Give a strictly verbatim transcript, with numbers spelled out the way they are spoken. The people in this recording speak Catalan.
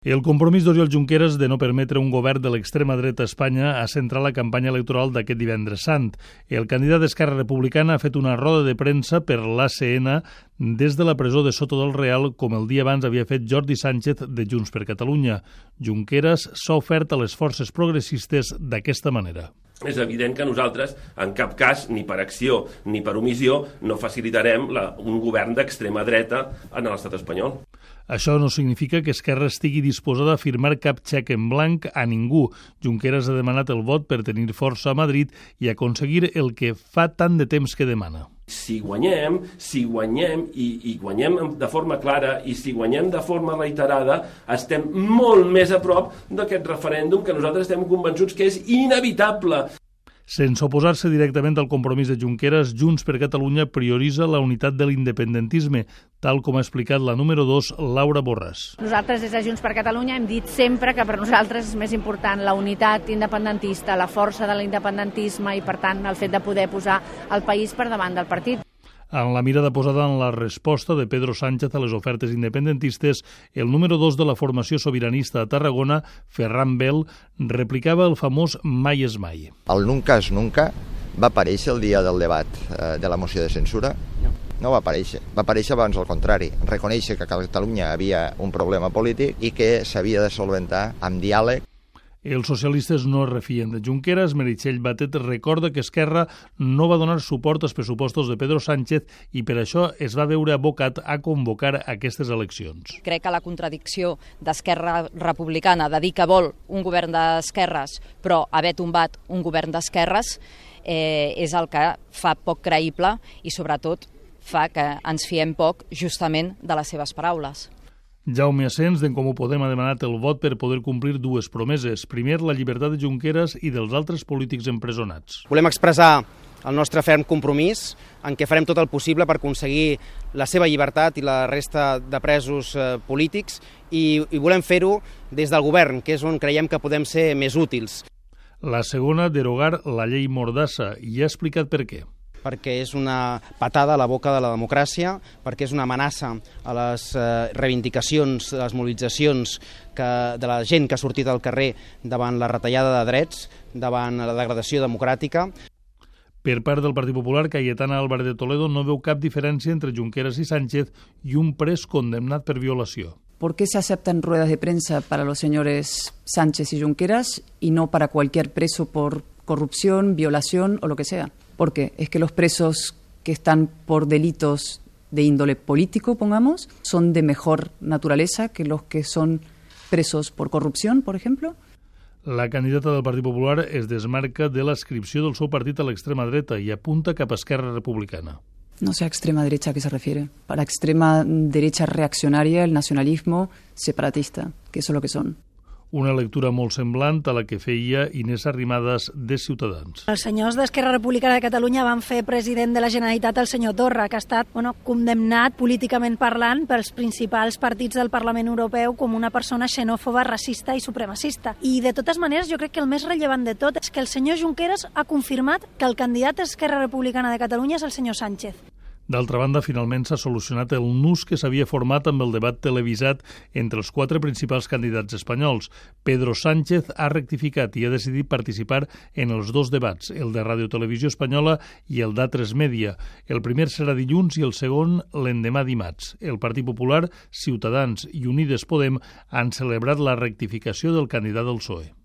El compromís d'Oriol Junqueras de no permetre un govern de l'extrema dreta a Espanya ha centrat la campanya electoral d'aquest divendres sant. El candidat d'Esquerra Republicana ha fet una roda de premsa per l'A C N des de la presó de Soto del Real, com el dia abans havia fet Jordi Sánchez de Junts per Catalunya. Junqueras s'ha ofert a les forces progressistes d'aquesta manera. És evident que nosaltres, en cap cas, ni per acció ni per omissió, no facilitarem la, un govern d'extrema dreta en l'estat espanyol. Això no significa que Esquerra estigui disposada a firmar cap xec en blanc a ningú. Junqueras ha demanat el vot per tenir força a Madrid i aconseguir el que fa tant de temps que demana. Si guanyem, si guanyem i, i guanyem de forma clara i si guanyem de forma reiterada, estem molt més a prop d'aquest referèndum que nosaltres estem convençuts que és inevitable. Sense oposar-se directament al compromís de Junqueras, Junts per Catalunya prioritza la unitat de l'independentisme, tal com ha explicat la número dos, Laura Borràs. Nosaltres des de Junts per Catalunya hem dit sempre que per nosaltres és més important la unitat independentista, la força de l'independentisme i, per tant, el fet de poder posar el país per davant del partit. En la mirada posada en la resposta de Pedro Sánchez a les ofertes independentistes, el número dos de la formació sobiranista a Tarragona, Ferran Bel, replicava el famós mai és mai. El nunca és nunca va aparèixer el dia del debat eh, de la moció de censura? No. No va aparèixer. Va aparèixer abans al contrari. Reconèixer que a Catalunya havia un problema polític i que s'havia de solventar amb diàleg. Els socialistes no es refien de Junqueras. Meritxell Batet recorda que Esquerra no va donar suport als pressupostos de Pedro Sánchez i per això es va veure abocat a convocar aquestes eleccions. Crec que la contradicció d'Esquerra Republicana de dir que vol un govern d'esquerres però haver tombat un govern d'esquerres eh, és el que fa poc creïble i sobretot fa que ens fiem poc justament de les seves paraules. Jaume Asens, d'En Comú Podem, ha demanat el vot per poder complir dues promeses. Primer, la llibertat de Junqueras i dels altres polítics empresonats. Volem expressar el nostre ferm compromís en què farem tot el possible per aconseguir la seva llibertat i la resta de presos eh, polítics i, i volem fer-ho des del govern, que és on creiem que podem ser més útils. La segona, derogar la llei Mordassa, i ha explicat per què. Perquè és una patada a la boca de la democràcia, perquè és una amenaça a les eh, reivindicacions, a les mobilitzacions que, de la gent que ha sortit al carrer davant la retallada de drets, davant la degradació democràtica. Per part del Partit Popular, Cayetana Álvarez de Toledo no veu cap diferència entre Junqueras i Sánchez i un pres condemnat per violació. ¿Por qué se aceptan ruedas de prensa para los señores Sánchez y Junqueras y no para cualquier preso por corrupción, violación o lo que sea? ¿Por qué? ¿Es que los presos que están por delitos de índole político, pongamos, son de mejor naturaleza que los que son presos por corrupción, por ejemplo? La candidata del Partit Popular es desmarca de l'adscripció del seu partit a l'extrema dreta i apunta cap a Esquerra Republicana. No sé a extrema derecha a qué se refiere. Para extrema derecha reaccionaria, el nacionalismo separatista, que eso es lo que son. Una lectura molt semblant a la que feia Inés Arrimadas de Ciutadans. Els senyors d'Esquerra Republicana de Catalunya van fer president de la Generalitat el senyor Torra, que ha estat bueno, condemnat políticament parlant pels principals partits del Parlament Europeu com una persona xenòfoba, racista i supremacista. I de totes maneres jo crec que el més rellevant de tot és que el senyor Junqueras ha confirmat que el candidat d'Esquerra Republicana de Catalunya és el senyor Sánchez. D'altra banda, finalment s'ha solucionat el nus que s'havia format amb el debat televisat entre els quatre principals candidats espanyols. Pedro Sánchez ha rectificat i ha decidit participar en els dos debats, el de Ràdio Televisió Espanyola i el d'A tres Media. El primer serà dilluns i el segon l'endemà dimarts. El Partit Popular, Ciutadans i Unides Podem han celebrat la rectificació del candidat del P S O E.